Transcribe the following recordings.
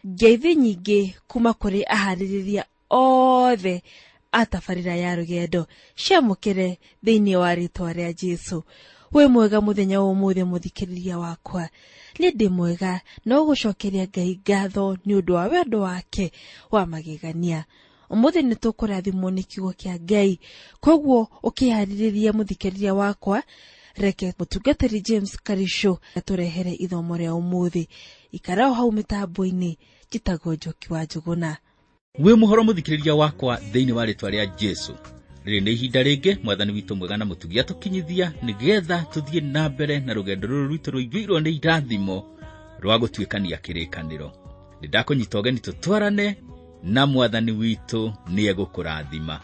Ngeithi nyingĩ kuma kũrĩ aharĩrĩria othe a tabarĩra ya rũgendo ciamũkĩre thĩinĩ wa rĩtwa rĩa Jesũ. Wĩ mwega mũthenya wa ũmũthĩ mũthikĩrĩria wakwa. Nĩ ndĩ mwega no gũcokeria Ngai ngatho nĩ ũndũ wa wendo wake wa magegania. Ũmũthĩ nĩ tũkũrathimwo nĩ kiugo kĩa Ngai, koguo ũkĩharĩrĩria mũthikĩrĩria wakwa, reke mũtungatĩri James Karisho atũrehere ithomo rĩa ũmũthĩ. Ikara o hau mĩtambo-inĩ, njĩtagwo Njoki wa Njũgũna. Wĩ mũhoro mũthikĩrĩria wakwa thĩinĩ wa rĩtwa rĩa Jesũ. Rĩrĩ nĩ ihinda rĩngĩ mwathani witũ mwega na mũtugi atũkinyithia nĩgetha tũthiĩ na mbere na rũgendo rũrũ rwitũ rũiyũirwo nĩ irathimo rwa gũtuĩkania kĩrĩkanĩro. Nĩ ndakũnyita ũgeni tũtwarane na mwathani witũ nĩegũkũrathima.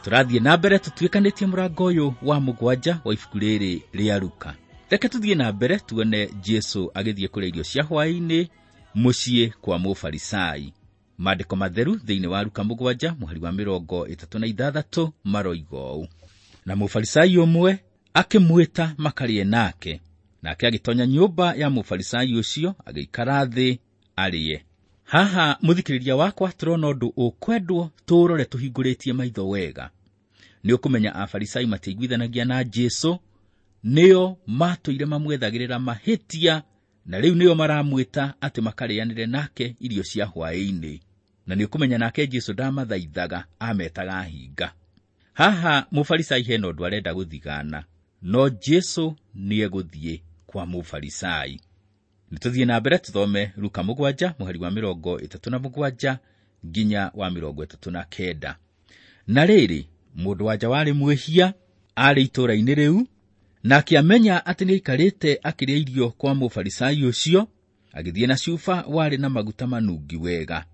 Tũrathiĩ na mbere tũtuĩkanĩtie mũrango ũyũ wa 7 wa ibuku rĩrĩ rĩa Luka. Reke tũthiĩ na mbere tuone Jesũ agĩthiĩ kũrĩa irio cia hwaĩ-inĩ mũciĩ kwa Mũfarisai. Maandĩko matheru thĩinĩ wa Luka 7 mũhari wa 36 maroiga ũũ: na Mũfarisai ũmwe akĩmwĩta makarĩe nake, nake agĩtonya nyũmba ya Mũfarisai ũcio agĩikara thĩ arĩe. Haha mũthikĩrĩria wakwa tũrona ũndũ ũkwendwo tũũrore tũhingũrĩtie maitho wega. Nĩ ũkũmenya Afarisai matiaiguithanagia na Jesũ, nĩo matũire mamwethagĩrĩra mahĩtia, na rĩu nĩo maramwĩta atĩ makarĩanĩre nake irio cia hwaĩ-inĩ. Na nĩ ũkũmenya nake Jesũ ndamathaithaga, ametaga hinga. Haha Mũfarisai hena ũndũ arenda gũthigana, no Jesũ nĩegũthiĩ kwa Mũfarisai. Nĩ tũthiĩ na mbere tũthome Luka 7 mũhari wa 37 nginya wa 39. Na rĩrĩ, mũndũ wa nja warĩ mwĩhia arĩ itũũra-inĩ rĩu, na akĩamenya atĩ nĩaikarĩte akĩrĩa irio kwa Mũfarisai ũcio, agĩthiĩ na cuba warĩ na maguta manungi wega.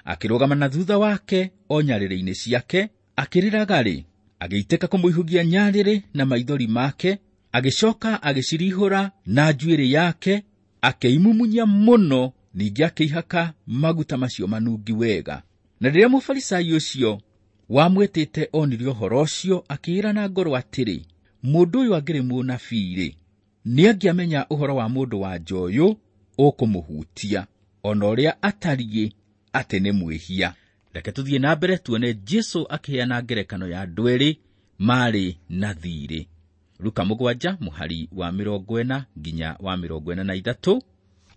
Akĩrũgama na thutha wake o nyarĩrĩ-inĩ ciake, akĩrĩraga-rĩ, agĩitĩka kũmũihũgia nyarĩrĩ na maithori make, agĩcoka agĩcirihũra na njuĩrĩ yake, akĩimumunya mũno, ningĩ akĩihaka maguta macio manungi wega. Na rĩrĩa Mũfarisai ũcio wamwĩtĩte onire ũhoro ũcio, akĩĩra na ngoro atĩrĩ, mũndũ ũyũ angĩrĩ mũnabii-rĩ, nĩangĩamenya ũhoro wa mũndũ wa nja ũyũ ũkũmũhutia, ona ũrĩa atariĩ atĩ nĩ mwĩhia. Reke tũthiĩ na mbere tuone Jesũ akĩheana ngerekano ya andũ erĩ marĩ na thiirĩ. Luka 7 mũhari wa 40 nginya wa 43.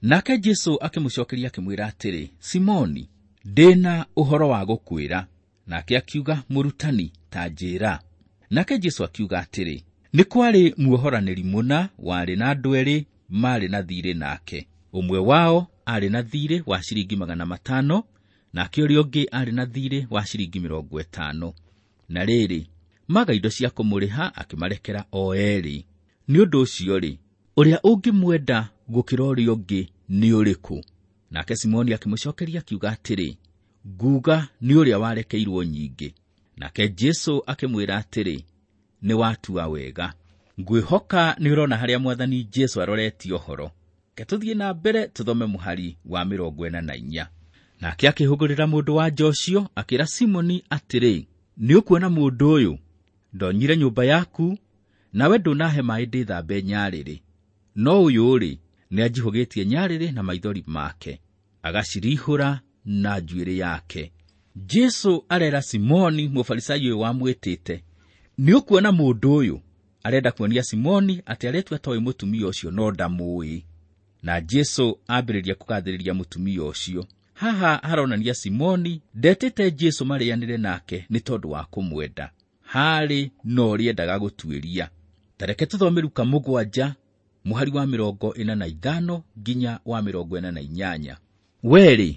Nake Jesũ akĩmũcokeria akĩmwĩra atĩrĩ, Simoni, ndĩna ũhoro wa gũkwĩra. Nake akiuga, mũrutani, ta njĩra. Nake Jesũ akiuga atĩrĩ, nĩ kwarĩ muohoranĩri mũna warĩ na andũ erĩ marĩ na thiirĩ nake. Ũmwe wao arĩ na thiirĩ wa ciringi 500, nake ũrĩa ũngĩ arĩ na thiirĩ wa ciringi 50. Na rĩrĩ, maga indo cia kũmũrĩha akĩmarekera o erĩ. Nĩ ũndũ ũcio-rĩ, ũrĩa ũngĩmwenda gũkĩra ũrĩa ũngĩ nĩ ũrĩkũ? Nake Simoni akĩmũcokeria akiuga atĩrĩ, nguga nĩ ũrĩa warekeirwo nyingĩ. Nake Jesũ akĩmwĩra atĩrĩ, nĩ watua wega. Ngwĩhoka nĩ ũrona harĩa mwathani Jesũ aroretie ũhoro. Reke tũthiĩ na mbere tũthome mũhari wa 44. Nake akĩhũgũrĩra mũndũ wa nja ũcio akĩra Simoni atĩrĩ, nĩ ũkuona mũndũ ũyũ? Ndonyire nyũmba yaku, nawe ndũnahe maaĩ ndĩthambe nyarĩrĩ. No ũyũ-rĩ, nĩanjihũgĩtie nyarĩrĩ na maithori make, agacirihũra na njuĩrĩ yake. Jesũ arera Simoni Mũfarisai ũyũ wamwĩtĩte, nĩ ũkuona mũndũ ũyũ? Arenda kuonia Simoni atĩ aretua toĩ mũtumia ũcio no ndamũĩ. Na Jesũ ambĩrĩria kũgathĩrĩria mũtumia ũcio. Haha haronania Simoni ndetĩte Jesũ marĩanĩre nake nĩ tondũ wa kũmwenda. Harĩ na ũrĩa endaga gũtuĩria. Ta reke tũthome Luka 7 mũhari wa 45 nginya wa 48. Werĩ,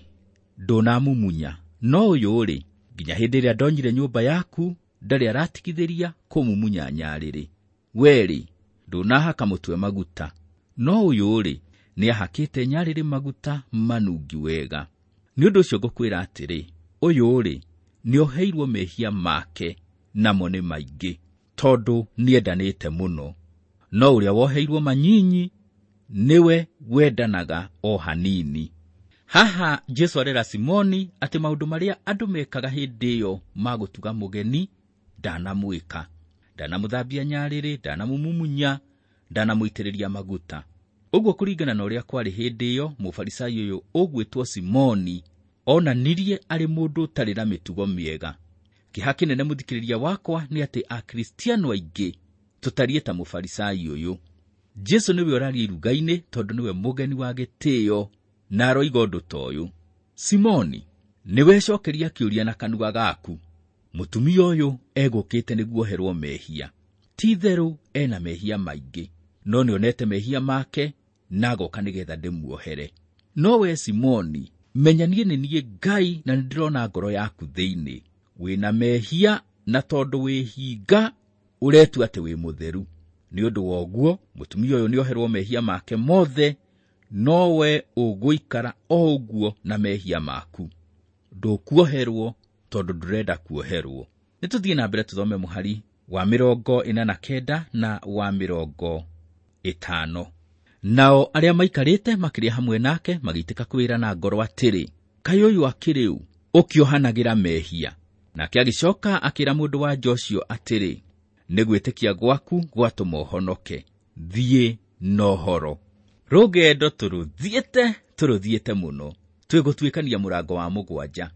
ndũnamumunya, no ũyũ-rĩ, nginya hĩndĩ ĩrĩa ndonyire nyũmba yaku, ndarĩ aratigithĩria kũmumunya nyarĩrĩ. Werĩ, ndũnahaka mũtwe maguta, no ũyũ-rĩ, nĩahakĩte nyarĩrĩ maguta manungi wega. Nĩ ũndũ ũcio ngũkwĩra atĩrĩ, ũyũ-rĩ, nĩoheirwo mehia make, namo nĩ maingĩ, tondũ nĩendanĩte mũno. No ũrĩa woheirwo manyinyi, nĩwe wendanaga o hanini. Haha Jesũ arera Simoni atĩ maũndũ marĩa andũ mekaga hĩndĩ ĩyo ma gũtuga mũgeni ndanamwĩka. Ndanamũthambia nyarĩrĩ, ndanamũmumunya, ndanamũitĩrĩria maguta. Ũguo kũringana na ũrĩa kwarĩ hĩndĩ ĩyo, Mũfarisai ũyũ ũgwĩtwo Simoni Onanirie arĩ mũndũ ũtarĩ na mĩtugo mĩega. Kĩeha kĩnene mũthikĩrĩria wakwa nĩ atĩ Akristiano aingĩ tũtariĩ ta mũfarisai ũyũ. Jesu nĩwe ũraria iruga-inĩ tondũ nĩwe mũgeni wa gĩtĩo na aroiga ũndũ ta ũyũ. Simoni, nĩwecokeria kĩũria na kanua gaku. Mũtumia ũyũ egũkĩte nĩguo oherwo mehia. Ti itherũ ena mehia maingĩ, no nĩonete mehia make na agoka nĩgetha ndĩmuohere. No we Simoni, menya niĩ nĩ niĩ Ngai na nĩndĩrona ngoro yaku thĩinĩ. Wĩna mehia na tondũ wĩhinga ũretua atĩ wĩ mũtheru. Nĩ ũndũ wa ũguo mũtumia ũyũ nĩoherwo mehia make mothe, no we ũgũikara o ũguo na mehia maku. Ndũkuoherwo tondũ ndũrenda kuoherwo. Nĩ tũthiĩ na mbere tũthome mũhari wa 49 na wa 50. Nao arĩa maikarĩte makĩrĩa hamwe nake magĩitĩka kwĩra na ngoro atĩrĩ, kaĩ ũyũ akĩrĩ ũ ũkĩohanagĩra mehia? Nake agĩcoka akĩra mũndũ wa nja ũcio atĩrĩ, nĩ gwĩtĩkia gwaku gwatũma ũhonoke, thiĩ na ũhoro. Rũgendo tũrũthiĩte mũno, twĩgũtuĩkania mũrango wa 7.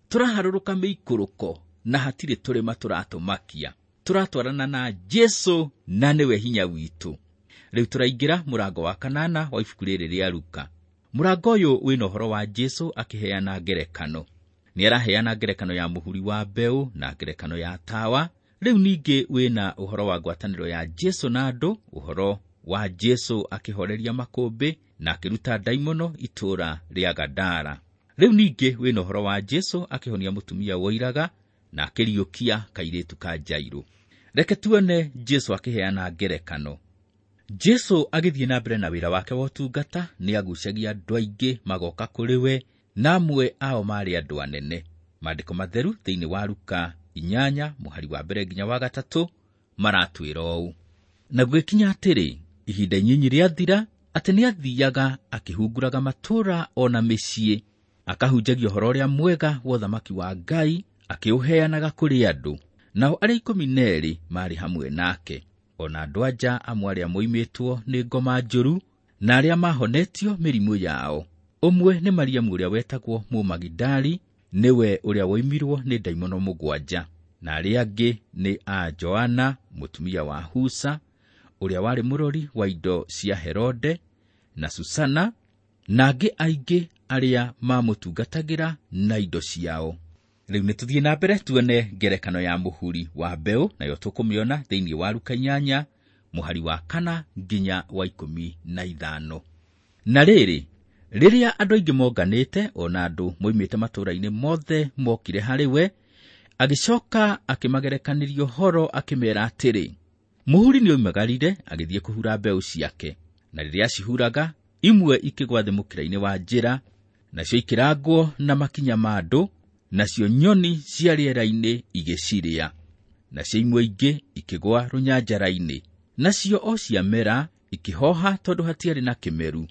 Tũraharũrũka mĩikũrũko na hatirĩ tũrĩma tũratũmakia. Tũratwarana na Jesu na nĩwe hinya witũ. Rĩu tũraingĩra mũrango wa 8 wa ibuku rĩrĩ rĩa Luka. Mũrango ũyũ wĩna ũhoro wa Jesu akĩheana ngerekano. Nĩaraheana ngerekano ya mũhuri wa mbeũ na ngerekano ya tawa. Rĩu ningĩ wĩna ũhoro wa ngwatanĩro ya Jesu na andũ, ũhoro wa Jesu akĩhoreria makũmbĩ na akĩruta ndaimono itũũra rĩa Gadara. Rĩu ningĩ wĩna ũhoro wa Jesu akĩhonia mũtumia woiraga na akĩriũkia kairĩtu ka Jairũ. Reke tuone Jesu akĩheana ngerekano. Jesu agĩthiĩ na mbere na wĩra wake wa ũtungata, nĩagucagia andũ aingĩ magoka kũrĩ we, na amwe ao maarĩ andũ anene. Maandĩko matheru thĩinĩ wa Luka 8 mũhari wa 1 nginya wa 3 maratwĩra ũũ. Na gũgĩkinya atĩrĩ, ihinda inyinyi rĩathira, atĩ nĩathiaga akĩhunguraga matũũra o na mĩciĩ, akahunjagia ũhoro ũrĩa mwega wa ũthamaki wa Ngai, akĩũheanaga kũrĩ andũ. Nao arĩa 12 maarĩ hamwe nake, ona andũ anja amwe arĩa moimĩtwo nĩ ngoma njũru na arĩa mahonetio mĩrimũ yao. Ũmwe nĩ Mariamu ũrĩa wetagwo Mũmagidali, nĩwe ũrĩa woimirwo nĩ ndaimono 7, na arĩa angĩ nĩ a Joana mũtumia wa Husa, ũrĩa warĩ mũrori wa indo cia Herode, na Susana, na angĩ aingĩ arĩa mamũtungatagĩra na indo ciao. Rĩu nĩ tũthiĩ na mbere tuone ngerekano ya mũhuri wa mbeũ, nayo tũkũmĩona thĩinĩ wa Luka 8 mũhari wa 4 nginya wa 15. Na rĩrĩ, rĩrĩa andũ aingĩ monganĩte, ona andũ moimĩte matũũra-inĩ mothe mokire harĩ we, agĩcoka akĩmagerekanĩria ũhoro akĩmeera atĩrĩ, mũhuri nĩoimagarire agĩthiĩ kũhura mbeũ ciake, na rĩrĩa acihuraga, imwe ikĩgwa thĩ mũkĩra-inĩ wa njĩra, nacio ikĩrangwo na makinya ma andũ, nacio nyoni cia rĩera-inĩ igĩcirĩa. Nacio imwe ingĩ ikĩgwa rũnyanjara-inĩ, nacio o ciamera ikĩhoha tondũ hatiarĩ na kĩmeru.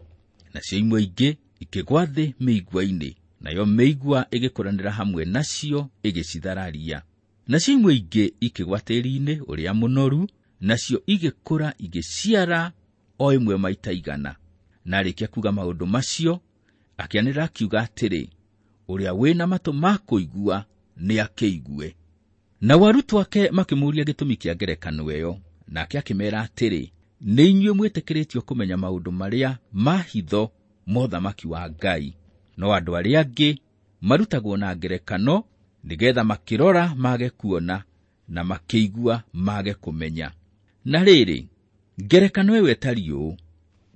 Nacio imwe ingĩ ikĩgwa thĩ mĩigua-inĩ, nayo mĩigua ĩgĩkũranĩra hamwe nacio ĩgĩcithararia. Nacio imwe ingĩ ikĩgwa tĩĩri-inĩ ũrĩa mũnoru, nacio igĩkũra igĩciara o ĩmwe maita 100. Na arĩkia kuuga maũndũ macio, akĩanĩrĩra akiuga atĩrĩ, ũrĩa wĩna matũ ma kũigua nĩakĩigue. Nao arutwo ake makĩmũũria gĩtũmi kĩa ngerekano ĩyo, nake akĩmeera atĩrĩ, nĩ inyuĩ mwĩtĩkĩrĩtio kũmenya maũndũ marĩa ma hitho ma ũthamaki wa Ngai, no andũ arĩa angĩ marutagwo na ngerekano nĩgetha makĩrora mage kuona na makĩigua mage kũmenya. Na rĩrĩ, ngerekano ĩyo ĩtariĩ ũũ,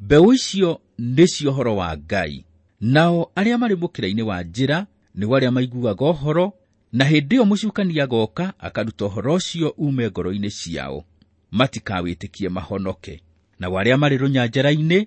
mbeũ icio nĩcio ũhoro wa Ngai, nao arĩa marĩ mũkĩra-inĩ wa njĩra nĩo arĩa maiguaga ũhoro, na hĩndĩ ĩyo mũcukani agoka akaruta ũhoro ũcio uume ngoro-inĩ ciao, matikawĩtĩkie mahonoke. Nao arĩa marĩ rũnyanjara-inĩ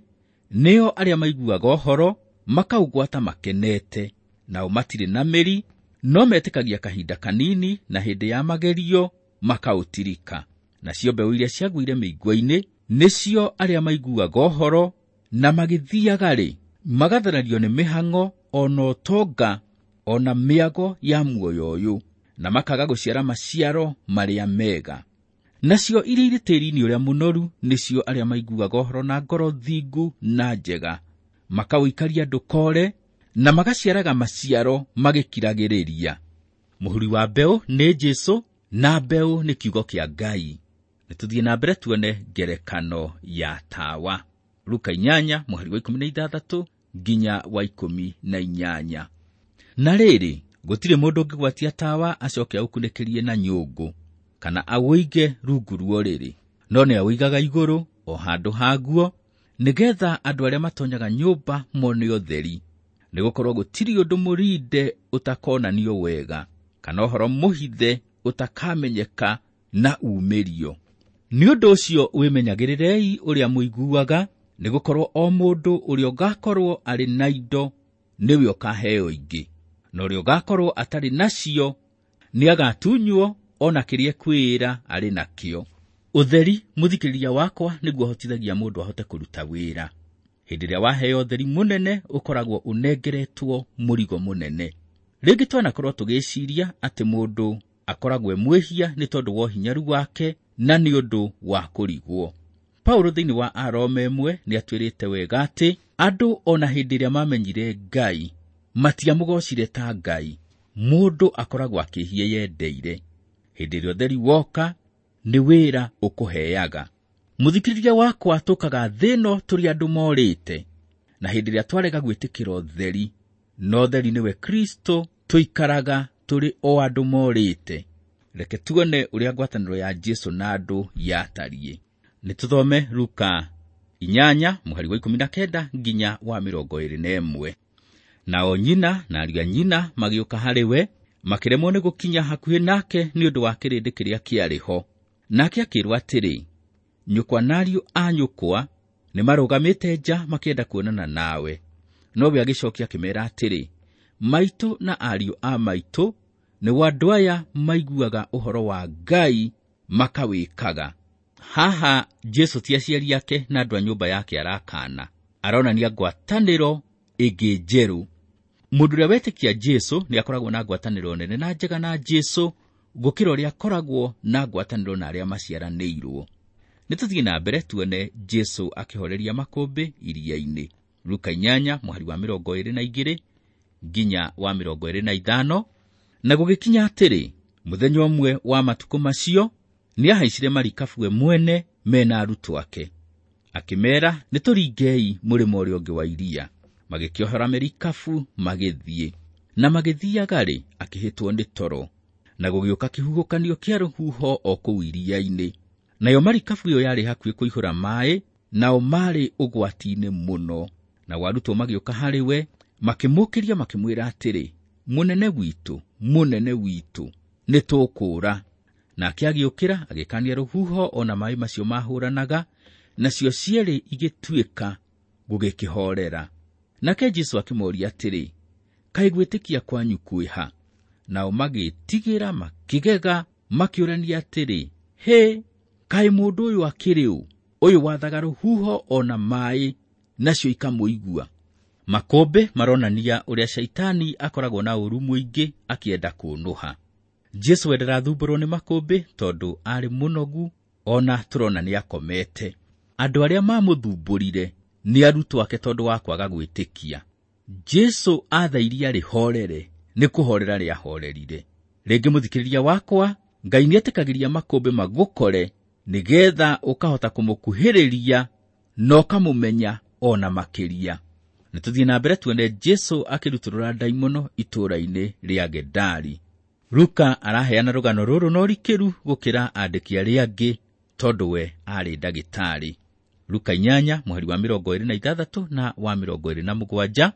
nĩo arĩa maiguaga ũhoro makaũgwata makenete, nao matirĩ na mĩri, no metĩkagia kahinda kanini, na hĩndĩ ya magerio makaũtirika. Nacio mbeũ iria ciagũire mĩigua-inĩ nĩcio arĩa maiguaga ũhoro na magĩthiaga-rĩ, magatharario nĩ mĩhang'o ona ũtonga ona mĩago ya muoyo ũyũ, na makaga gũciara maciaro marĩa mega. Nacio iria irĩ tĩĩri-inĩ ũrĩa mũnoru nĩcio arĩa maiguaga ũhoro na ngoro thingu na njega, makaũikaria ndũkore, na magaciaraga maciaro magĩkiragĩrĩria. Mũhuri wa mbeũ nĩ Jesũ na mbeũ nĩ kiugo kĩa Ngai. Nĩtũthiĩ na mbere tuone ngerekano ya tawa. Luka 8 mũhari wa 16 nginya wa 18. Na rĩrĩ, gũtirĩ mũndũ ũngĩgwatia tawa acoke aũkunĩkĩrie na nyũngũ kana awũige rungu rwa ũrĩrĩ, no nĩ awũigaga igũrũ o handũ haguo, nĩgetha andũ arĩa matonyaga nyũmba mone ũtheri. Nĩgũkorwo gũtirĩ ũndũ mũrinde ũtakonanio wega, kana ũhoro mũhithe ũtakamenyeka na umĩrio. Nĩ ũndũ ũcio wĩmenyagĩrĩrei ũrĩa mũiguaga, nĩgũkorwo o mũndũ ũrĩa ũgakorwo arĩ na indo nĩwe ũkaheo ingĩ, na ũrĩa ũgakorwo atarĩ nacio nĩagatunywo ona kĩrĩa ekwĩĩra arĩ nakĩo. Ũtheri, mũthikĩrĩria wakwa, nĩguo ũhotithagia mũndũ ahote kũruta wĩra. Hĩndĩ ĩrĩa waheo ũtheri mũnene, ũkoragwo ũnengeretwo mũrigo mũnene. Rĩngĩ twanakorwo tũgĩciria atĩ mũndũ akoragwo e mwĩhia nĩ tondũ wa ũhinyaru wake na nĩ ũndũ wa kũrigwo. Paulo thĩinĩ wa Aroma 1 nĩatwĩrĩte wega atĩ andũ ona hĩndĩ ĩrĩa mamenyire Ngai matiamũgocire ta Ngai. Mũndũ akoragwo akĩhia yendeire. Hĩndĩ ĩrĩa ũtheri woka nĩ wĩra ũkũheaga. Mũthikĩrĩria wakwa, tũkaga thĩ ĩno tũrĩ andũ morĩte, na hĩndĩ ĩrĩa twarega gwĩtĩkĩra ũtheri, na ũtheri nĩwe Kristo, tũikaraga tũrĩ o andũ morĩte. Reke tuone ũrĩa ngwatanĩro ya Jesũ na andũ yatariĩ. Nĩtũthome Luka 8 mũhari wa 19 nginya wa 21. Nao nyina na ariũ a nyina magĩũka harĩ we, makĩremwo nĩ gũkinya hakuhĩ nake nĩ ũndũ wa kĩrĩndĩ kĩrĩa kĩarĩ ho. Nake akĩĩrwo atĩrĩ, nyũkwa na ariũ a nyũkwa nĩmarũgamĩte nja makĩenda kuonana nawe. Nowe agĩcokia akĩmeera atĩrĩ, maitũ na ariũ a maitũ nĩo andũ aya maiguaga ũhoro wa Ngai makawĩkaga. Haha Jesũ ti aciari ake na andũ a nyũmba yake arakana, aronania ngwatanĩro ĩngĩ njerũ. Mũndũ ũrĩa wetĩkia Jesũ nĩ akoragwo na ngwatanĩro nene na njega na Jesũ gũkĩra ũrĩa akoragwo na ngwatanĩro na arĩa maciaranĩirwo. Nĩtũthiĩ na mbere tuone Jesũ akĩhoreria makũmbĩ iria-inĩ. Luka 8 mũhari wa 22 nginya wa 25. Na gũgĩkinya atĩrĩ, mũthenya ũmwe wa matukũ macio nĩahaicire marikabu we mwene mena arutwo ake, akĩmeera, nĩtũringei mũrĩmo ũrĩa ũngĩ wa iria. Magĩkĩohora merikabu magĩthiĩ. Na magĩthiaga-rĩ, akĩhĩtwo nĩ toro, na gũgĩũka kĩhuhũkanio kĩa rũhuho o kũu iria-inĩ. Nayo marikabu ĩyo yarĩ hakuhĩ kũihũra maaĩ, nao maarĩ ũgwati-inĩ mũno. Nao arutwo magĩũka harĩ we, makĩmũũkĩria makĩmwĩra atĩrĩ, mũnene witũ, mũnene witũ, nĩtũkũũra. Nake agĩũkĩra agĩkania rũhuho o na maaĩ macio mahũranaga, nacio cierĩ igĩtuĩka gũgĩkĩhoorera. Nake Jesũ akĩmooria atĩrĩ, kaĩ gwĩtĩkia kwanyu kwĩha? Nao magĩĩtigĩra makĩgega, makĩũrania atĩrĩ, hĩ, kaĩ mũndũ ũyũ akĩrĩ ũ, ũyũ wathaga rũhuho o na maaĩ, nacio ikamũigua? Makũmbĩ maronania ũrĩa Shaitani akoragwo na ũũru mũingĩ akĩenda kũũnũha. Jesũ we ndarathumbũrwo nĩ makũmbĩ tondũ arĩ mũnogu, ona tũrona nĩakomete. Andũ arĩa mamũthumbũrire nĩ arutwo ake tondũ wa kwaga gwĩtĩkia. Jesũ aatha iria rĩhorere, nĩ kũhorera rĩahorerire. Rĩngĩ mũthikĩrĩria wakwa, Ngai nĩetĩkagĩria makũmbĩ magũkore nĩgetha ũkahota kũmũkuhĩrĩria na ũkamũmenya ona makĩria. Nĩtũthiĩ na mbere tuone Jesũ akĩrutũrũra ndaimono itũũra-inĩ rĩa Gedari. Luka araheana rũgano rũrũ na ũrikĩru gũkĩra andĩki arĩa angĩ tondũ we aarĩ ndagĩtarĩ. Luka 8 mũhari wa 26 na wa 27.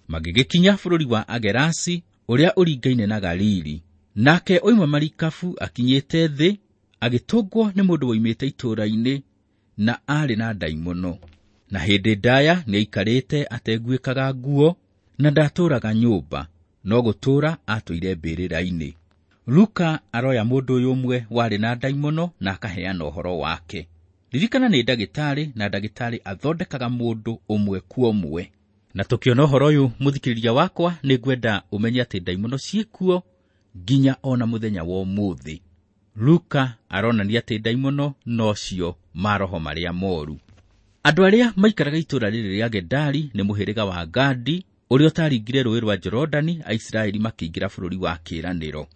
Magĩgĩkinya bũrũri wa Agerasi ũrĩa ũringaine na Galili. Nake oima marikabu akinyĩte thĩ, agĩtũngwo nĩ mũndũ woimĩte itũũra-inĩ na aarĩ na ndaimono. Na hĩndĩ ndaya nĩaikarĩte ateguĩkaga nguo na ndatũũraga nyũmba, no gũtũũra atũire mbĩrĩra-inĩ. Luka aroya mũndũ ũyũ ũmwe warĩ na ndaimono na akaheana ũhoro wake. Ririkana nĩ ndagĩtarĩ, na ndagĩtarĩ athondekaga mũndũ ũmwe kwa ũmwe. Na tũkĩona ũhoro ũyũ mũthikĩrĩria wakwa, nĩngwenda ũmenye atĩ ndaimono ciĩkuo nginya ona mũthenya wa ũmũthĩ. Luka aronania atĩ ndaimono nocio maroho marĩa moru. Andũ arĩa maikaraga itũũra rĩrĩ rĩa Gedari nĩ mũhĩrĩga wa Gadi, ũrĩa ũtaringire rũũĩ rwa Jorodani Aisiraeli makĩingĩra bũrũri wa kĩĩranĩro.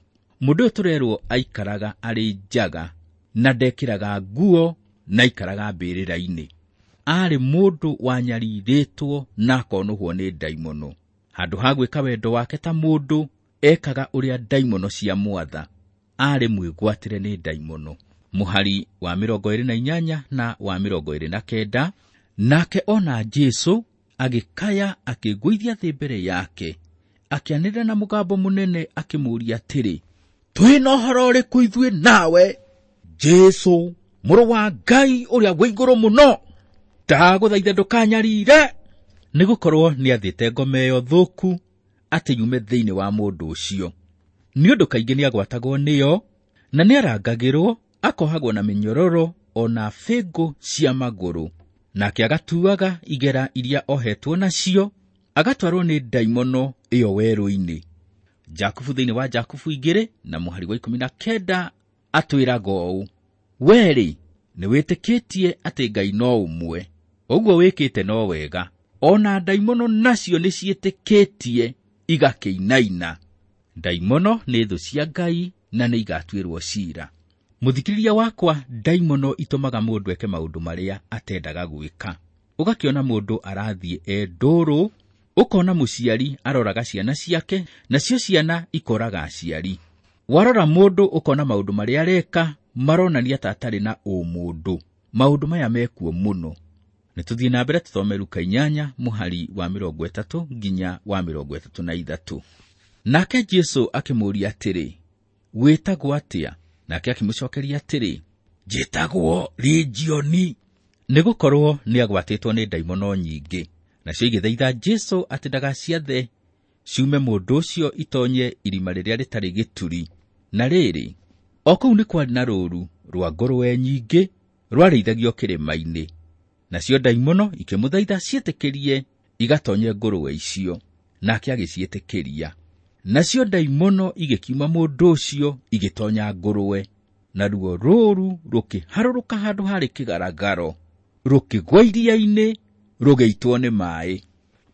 Mũndũ ũyũ tũrerwo aikaraga arĩ njaga na ndekĩraga nguo na aikaraga mbĩrĩra-inĩ. Aarĩ mũndũ wanyarirĩtwo na akonũhwo nĩ ndaimono. Handũ ha gwĩka wendo wake ta mũndũ, ekaga ũrĩa ndaimono ciamwatha. Aarĩ mwĩgwatĩre nĩ ndaimono. Mũhari wa 28 na wa 29, nake ona Jesũ agĩkaya akĩgũithia thĩ mbere yake, akĩanĩrĩra na mũgambo mũnene akĩmũũria atĩrĩ, twĩ na ũhoro ũrĩkũ ithuĩ nawe, Jesũ mũrũ wa Ngai ũrĩa wĩ igũrũ mũno? Ndagũthaitha ndũkanyarire. Nĩgũkorwo nĩathĩte ngoma ĩyo thũku atĩ yume thĩinĩ wa mũndũ ũcio. Nĩ ũndũ kaingĩ nĩagwatagwo nĩyo na nĩarangagĩrwo, akohagwo na mĩnyororo o na bĩngũ cia magũrũ. Nake agatuaga igera iria ohetwo nacio, agatwarwo nĩ ndaimono ĩyo werũ-inĩ. Jakubu thĩinĩ wa Jakubu 2 na mũhari wa 19 atwĩraga ũũ, werĩ nĩwĩtĩkĩtie atĩ Ngai no ũmwe, ũguo wĩkĩte no wega. Ona ndaimono nacio nĩciĩtĩkĩtie igakĩinaina. Ndaimono nĩ thũ cia Ngai na nĩigatuĩrwo ciira. Mũthikĩrĩria wakwa, ndaimono itũmaga mũndũ eke maũndũ marĩa atendaga gwĩka. Ũgakĩona mũndũ arathiĩ e ndũrũ, ũkona mũciari aroraga ciana ciake, nacio ciana ikoraga aciari. Warora mũndũ ũkona maũndũ marĩa areka maronania ta atarĩ na ũmũndũ. Maũndũ maya mekuo mũno. Nĩtũthiĩ na mbere tũthome Luka 8 mũhari wa 30 nginya wa 33. Nake Jesũ akĩmũũria atĩrĩ, wĩtagwo atĩa? Nake akĩmũcokeria atĩrĩ, njĩtagwo Legioni, nĩgũkorwo nĩagwatĩtwo nĩ ndaimono nyingĩ. Nacio igĩthaitha Jesũ atĩ ndagaciathe ciume mũndũ ũcio itonye irima rĩrĩa rĩtarĩ gĩturi. Na rĩrĩ, o kũu nĩ kwarĩ na rũũru rwa ngũrwe nyingĩ rwarĩithagio kĩrĩma-inĩ. Nacio ndaimono ikĩmũthaitha ciĩtĩkĩrie igatonye ngũrwe icio, nake agĩciĩtĩkĩria. Nacio ndaimono igĩkiuma mũndũ ũcio igĩtonya ngũrwe, naruo rũũru rũkĩharũrũka handũ harĩ kĩgaragaro, rũkĩgwa iria-inĩ, rũgĩitwo nĩ maaĩ.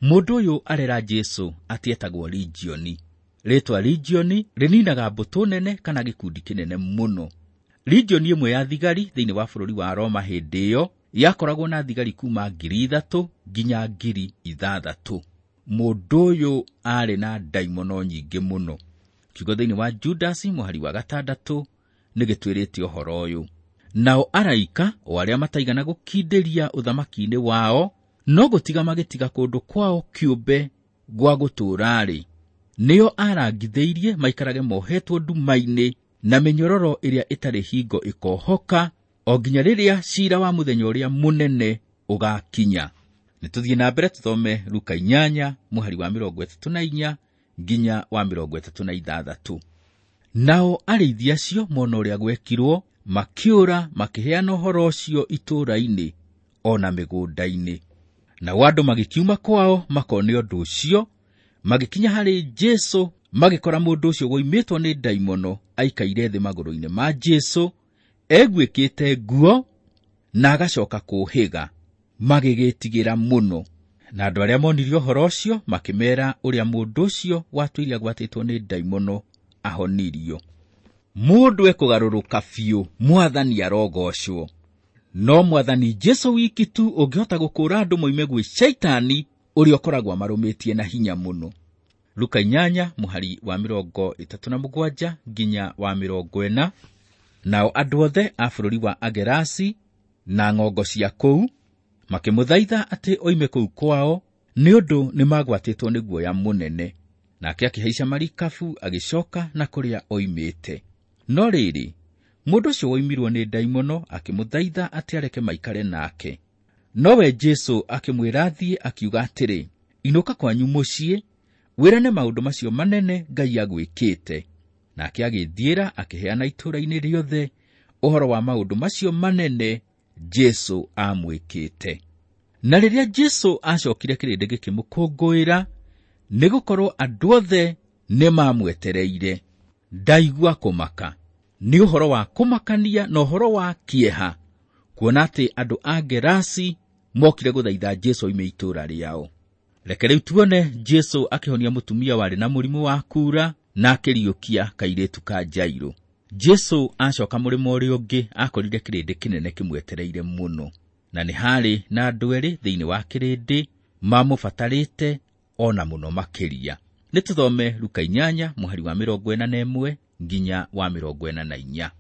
Mũndũ ũyũ arera Jesũ atĩ etagwo Legioni. Rĩtwa Legioni rĩninaga mbũtũ nene kana gĩkundi kĩnene mũno. Legioni ĩmwe ya thigari thĩinĩ wa bũrũri wa Roma hĩndĩ ĩyo yakoragwo na thigari kuma 3,000 nginya 6,000. Mũndũ ũyũ aarĩ na ndaimono nyingĩ mũno. Kiugo thĩinĩ wa Judasi mũhari wa 6 nĩgĩtwĩrĩte ũhoro ũyũ. Nao araika o arĩa mataigana gũkindĩria ũthamaki-inĩ wao, no gũtiga magĩtiga kũndũ kwao kĩũmbe gwa gũtũũra-rĩ, nĩo arangithĩirie maikarage mohetwo nduma-inĩ na mĩnyororo ĩrĩa ĩtarĩ hingo ĩkohoka, o nginya rĩrĩa ciira wa mũthenya ũrĩa mũnene ũgakinya. Nĩtũthiĩ na mbere tũthome Luka 8 mũhari wa 34 nginya wa 36. Nao arĩithi acio mona ũrĩa gwekirwo, makĩũra makĩheana ũhoro ũcio itũũra-inĩ o na mĩgũnda-inĩ. Nao andũ magĩkiuma kwao makone ũndũ ũcio, magĩkinya harĩ Jesũ, magĩkora mũndũ ũcio woimĩtwo nĩ ndaimono aikaire thĩ magũrũ-inĩ ma Jesũ, eguĩkĩte nguo na agacoka kũũhĩga, magĩgĩtigĩra mũno. Na andũ arĩa monire ũhoro ũcio makĩmeera ũrĩa mũndũ ũcio watũire agwatĩtwo nĩ ndaimono ahonirio. Mũndũ ekũgarũrũka biũ, Mwathani arogocwo. No Mwathani Jesũ wiki tu ũngĩhota gũkũũra andũ moime gwĩ Shaitani ũrĩa ũkoragwo amarũmĩtie na hinya mũno. Luka 8 mũhari wa 37 nginya wa 40. Nao andũ othe a bũrũri wa Agerasi na ng'ongo cia kũu makĩmũthaitha atĩ oime kũu kwao, nĩ ũndũ nĩmagwatĩtwo nĩ guoya mũnene. Nake akĩhaica marikabu agĩcoka na kũrĩa oimĩte. No rĩrĩ, mũndũ ũcio woimirwo nĩ ndaimono akĩmũthaitha atĩ areke maikare nake. Nowe Jesũ akĩmwĩra athiĩ, akiuga atĩrĩ, inũka kwanyu mũciĩ, wĩrane maũndũ macio manene Ngai agwĩkĩte. Nake agĩthiĩra akĩheana itũũra-inĩ rĩothe ũhoro wa maũndũ macio manene Jesũ amwĩkĩte. Na rĩrĩa Jesũ acokire kĩrĩndĩ gĩkĩmũkũngũĩra, nĩgũkorwo andũ othe nĩmamwetereire. Ndaigua kũmaka. Nĩ ũhoro wa kũmakania na ũhoro wa kĩeha, kuona atĩ andũ a Gerasi mokire gũthaitha Jesũ oime itũũra rĩao. Reke rĩu tuone Jesu akĩhonia mũtumia warĩ na mũrimũ wa kuura na akĩriũkia kairĩtu ka Jairũ. Jesu acoka mũrĩmo ũrĩa ũngĩ akorire kĩrĩndĩ kĩnene kĩmwetereire mũno, na nĩ harĩ na andũ erĩ thĩinĩ wa kĩrĩndĩ mamũbatarĩte ona mũno makĩria. Nĩ tũthome Luka 8 mũhari wa 41 nginya wa 44.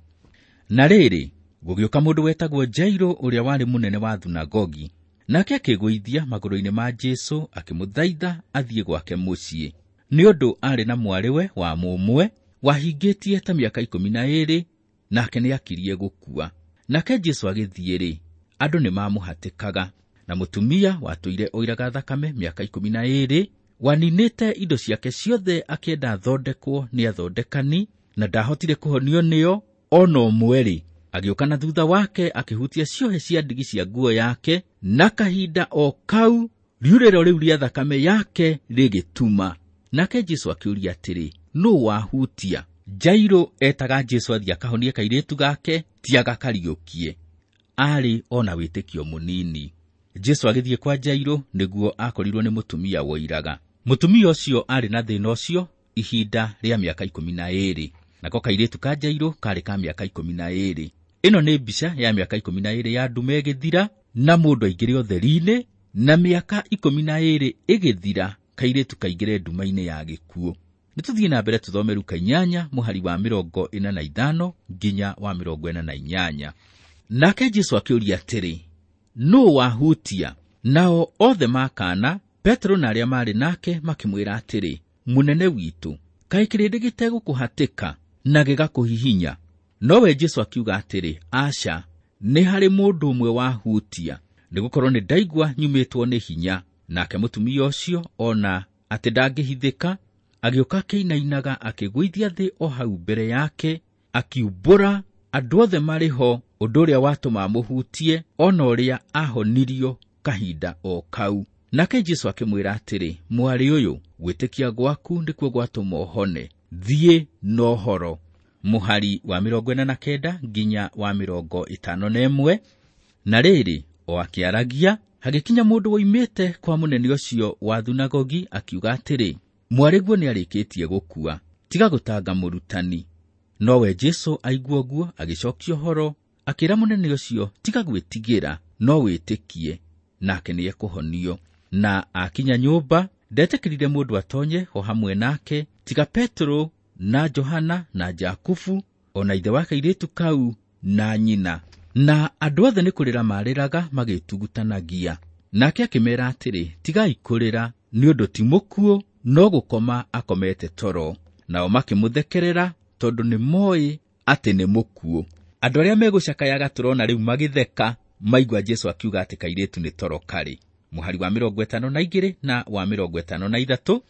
Na rĩrĩ, gũgĩũka mũndũ wetagwo Jairũ ũrĩa warĩ mũnene wa thunagogi, nake akĩgũithia magũrũ-inĩ ma Jesu akĩmũthaitha athiĩ gwake mũciĩ, nĩ ũndũ aarĩ na mwarĩwe wa mũmwe wahingĩtie ta mĩaka 12, nake nĩakirie gũkua. Nake Jesu agĩthiĩ-rĩ, andũ nĩmamũhatĩkaga, na mũtumia watũire oiraga thakame mĩaka 12 waninĩte indo ciake ciothe akĩenda athondekwo nĩ athondekani, na ndahotire kũhonio nĩo ona ũmwe-rĩ, agĩũka na thutha wake akĩhutia ciohe cia ndigi cia nguo yake, na kahinda o kau riurĩro rĩu rĩa thakame yake rĩgĩtuma. Nake Jesu akĩũria atĩrĩ, nũ wahutia? Jairũ etaga Jesu athiĩ akahonie kairĩtu gake, ti agakariũkie. Aarĩ ona wĩtĩkio mũnini. Jesu agĩthiĩ kwa Jairũ nĩguo akorirwo nĩ mũtumia woiraga. Mũtumia ũcio aarĩ na thĩna ũcio ihinda rĩa mĩaka 12, nako kairĩtu ka Jairũ karĩ ka mĩaka 12. Ĩno nĩ mbica ya mĩaka 12 ya ndume ĩgĩthira na mũndũ aingĩre ũtheri-inĩ, na mĩaka 12 ĩgĩthira kairĩtu kaingĩre nduma-inĩ ya gĩkuũ. Nĩ tũthiĩ na mbere tũthome Luka 8 mũhari wa 45 nginya wa 48. Nake Jesu akĩũria atĩrĩ, nũ wahutia? Nao othe makana, Petero na arĩa maarĩ nake makĩmwĩra atĩrĩ, mũnene witũ, kaĩ kĩrĩndĩ gĩtegũkũhatĩka na gĩgakũhihinya? Nowe Jesu akiuga atĩrĩ, aca, nĩ harĩ mũndũ ũmwe wahutia, nĩgũkorwo nĩ ndaigua nyumĩtwo nĩ hinya. Nake mũtumia ũcio ona atĩ ndangĩhithĩka, agĩũka akĩinainaga akĩgũithia thĩ o hau mbere yake, akiumbũra andũ othe marĩ ho ũndũ ũrĩa watũma amũhutie, ona ũrĩa ahonirio kahinda o kau. Nake Jesu akĩmwĩra atĩrĩ, mwarĩ ũyũ, gwĩtĩkia gwaku nĩkuo gwatũma ũhone, thiĩ na ũhoro. Mũhari wa 49 nginya wa 51. Na rĩrĩ, o akĩaragia, hagĩkinya mũndũ woimĩte kwa mũnene ũcio wa thunagogi akiuga atĩrĩ, mwarĩguo nĩarĩkĩtie gũkua, tiga gũtanga mũrutani. Nowe Jesu aigua ũguo agĩcokia ũhoro, akĩra mũnene ũcio, tiga gwĩtigĩra, no wĩtĩkie, nake nĩekũhonio. Na akinya nyũmba, ndetĩkĩrire mũndũ atonye ho hamwe nake, tiga Petero na Johana na Jakubu, ona ithe wa kairĩtu kau na nyina. Na andũ othe nĩ kũrĩra marĩraga magĩtugutanagia. Nake akĩmeera atĩrĩ, tigai kũrĩra, nĩ ũndũ ti mũkuũ, no gũkoma akomete toro. Nao makĩmũthekerera tondũ nĩ moĩ atĩ nĩ mũkuũ. Andũ arĩa megũcakayaga tũrona rĩu magĩtheka maigua Jesu akiuga atĩ kairĩtu nĩ toro karĩ. Mũhari wa 52 na wa 53.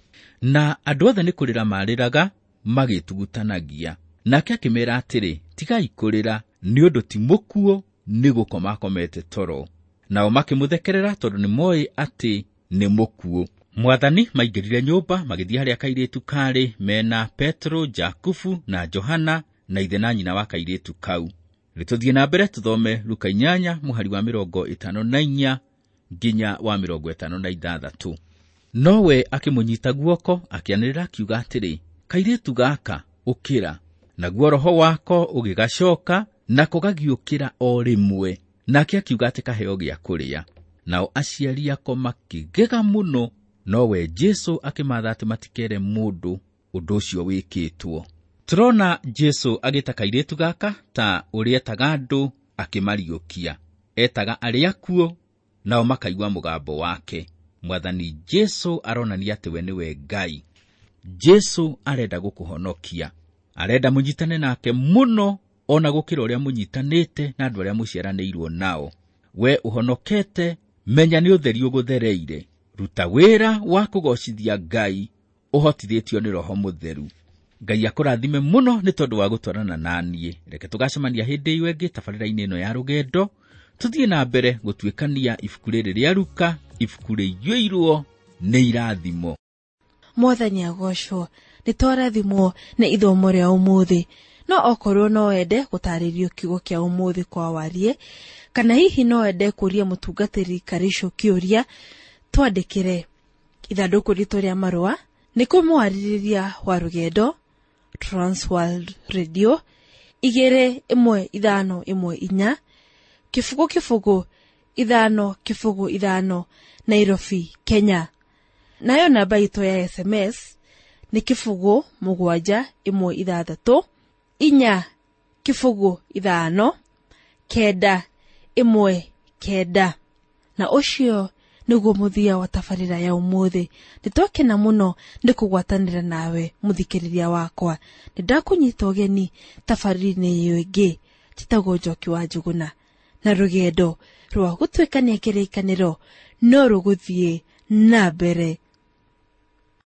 Na andũ othe nĩ kũrĩra marĩraga magĩtugutanagia. Nake akĩmeera atĩrĩ, tigai kũrĩra, nĩ ũndũ ti mũkuũ, nĩ gũkoma akomete toro. Nao makĩmũthekerera tondũ nĩ moĩ atĩ nĩ mũkuũ. Mwathani maingĩrire nyũmba magĩthiĩ harĩa kairĩtu karĩ mena Petero, Jakubu na Johana na ithe na nyina wa kairĩtu kau. Nĩtũthiĩ na mbere tũthome Luka 8 mũhari wa 54 nginya wa 56. Nowe akĩmũnyita guoko akĩanĩrĩra akiuga atĩrĩ, kairĩtu gaka ũkĩra. Naguo roho wako ũgĩgacoka, nako gagĩũkĩra o rĩmwe. Nake akiuga atĩ kaheo gĩa kũrĩa. Nao aciari ako makĩgega mũno, nowe Jesu akĩmatha atĩ matikere mũndũ ũndũ ũcio wĩkĩtwo. Tũrona Jesu agĩta kairĩtu gaka ta ũrĩa etaga andũ akĩmariũkia. Etaga arĩa akuũ, nao makaigua mũgambo wake. Mwathani Jesu aronania atĩ we nĩwe Ngai. Jesu arenda gũkũhonokia. Arenda mũnyitane nake mũno ona gũkĩra ũrĩa mũnyitanĩte na andũ arĩa mũciaranĩirwo nao. We ũhonokete, menya nĩ ũtheri ũgũthereire. Ruta wĩra wa kũgocithia Ngai ũhotithĩtio nĩ Roho Mũtheru. Ngai akũrathime mũno nĩ tondũ wa gũtwarana na niĩ. Reke tũgacemania hĩndĩ ĩyo ĩngĩ tabarĩra-inĩ ĩno ya rũgendo, tũthiĩ na mbere gũtuĩkania ibuku rĩrĩ rĩa Luka, ibuku rĩiyũirwo nĩ irathimo. Mwathani agocwo, nĩ twarathimwo nĩ ithomo rĩa ũmũthĩ. No okorwo no wende gũtarĩrio kiugo kĩa ũmũthĩ kwa warie, kana hihi no wende kũria mũtungatĩri Karicũ kĩũria, twandĩkĩre. Ithandũkũ ritũ rĩa marũa nĩ kũmwarĩrĩria wa rũgendo, Transworld Radio 21514 0 0 5 0 5 Nairobi, Kenya. Nayo namba itũ ya SMS nĩ 0 7 1 6 4 0 5 9 1 9. Na ũcio nĩguo mũthia wa tabarĩra ya ũmũthĩ. Nĩtwakena mũno nĩ kũgwatanĩra nawe mũthikĩrĩria wakwa. Nĩ ndakũnyita ũgeni tabarĩra-inĩ ĩyo ĩngĩ. Njĩtagwo Njoki wa Njũgũna, na rũgendo rwa gũtuĩkania kĩrĩkanĩro no rũgũthiĩ na mbere.